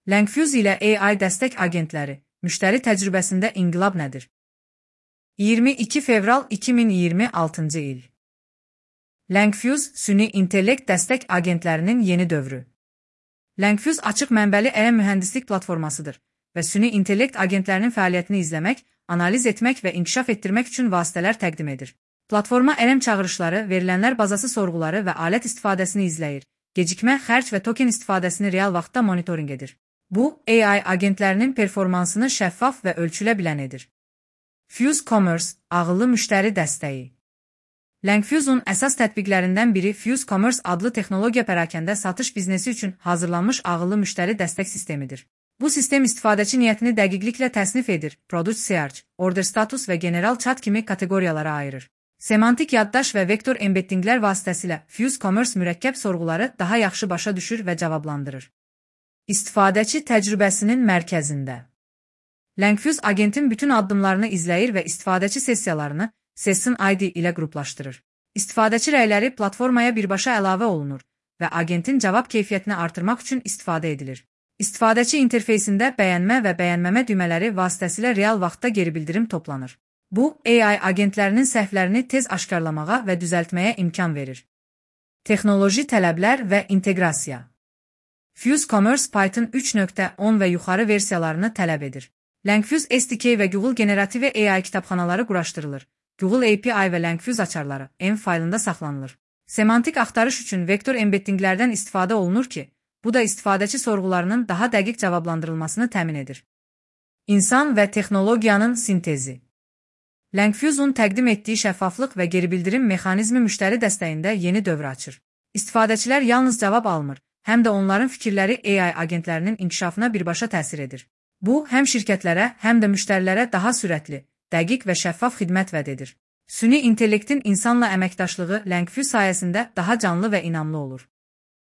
Langfuse ilə AI dəstək agentləri, müştəri təcrübəsində inqilab nədir? 22 fevral 2026-cı il. Langfuse, süni intellekt dəstək agentlərinin yeni dövrü. Langfuse açıq mənbəli ələ mühəndislik platformasıdır və süni intellekt agentlərinin fəaliyyətini izləmək, analiz etmək və inkişaf etdirmək üçün vasitələr təqdim edir. Platforma ələm çağırışları, verilənlər bazası sorğuları və alət istifadəsini izləyir, gecikmə, xərc və token istifadəsini real vaxtda monitorinq edir. Bu, AI agentlərinin performansını şəffaf və ölçülə bilən edir. Fuse Commerce, ağıllı müştəri dəstəyi. Langfuse'un əsas tətbiqlərindən biri Fuse Commerce adlı texnologiya pərakəndə satış biznesi üçün hazırlanmış ağıllı müştəri dəstək sistemidir. Bu sistem istifadəçi niyyətini dəqiqliklə təsnif edir, product search, order status və general chat kimi kateqoriyalara ayırır. Semantik yaddaş və vektor embeddinglər vasitəsilə Fuse Commerce mürəkkəb sorğuları daha yaxşı başa düşür və cavablandırır. İstifadəçi təcrübəsinin mərkəzində. Langfuse agentin bütün addımlarını izləyir və istifadəçi sessiyalarını Session ID ilə qruplaşdırır. İstifadəçi rəyləri platformaya birbaşa əlavə olunur və agentin cavab keyfiyyətini artırmaq üçün istifadə edilir. İstifadəçi interfeysində bəyənmə və bəyənməmə düymələri vasitəsilə real vaxtda geri bildirim toplanır. Bu, AI agentlərinin səhvlərini tez aşkarlamağa və düzəltməyə imkan verir. Texnoloji tələblər və inteqrasiya. Fuse Commerce Python 3.10 və yuxarı versiyalarını tələb edir. Langfuse SDK və Google generativ AI kitabxanaları quraşdırılır. Google API və Langfuse açarları M faylında saxlanılır. Semantik axtarış üçün vektor embeddinglərdən istifadə olunur ki, bu da istifadəçi sorğularının daha dəqiq cavablandırılmasını təmin edir. İnsan və texnologiyanın sintezi. Langfuse'un təqdim etdiyi şəffaflıq və geribildirim mexanizmi müştəri dəstəyində yeni dövr açır. İstifadəçilər yalnız cavab almır, həm də onların fikirləri AI agentlərinin inkişafına birbaşa təsir edir. Bu, həm şirkətlərə, həm də müştərilərə daha sürətli, dəqiq və şəffaf xidmət vəd edir. Süni intellektin insanla əməkdaşlığı Langfuse sayəsində daha canlı və inamlı olur.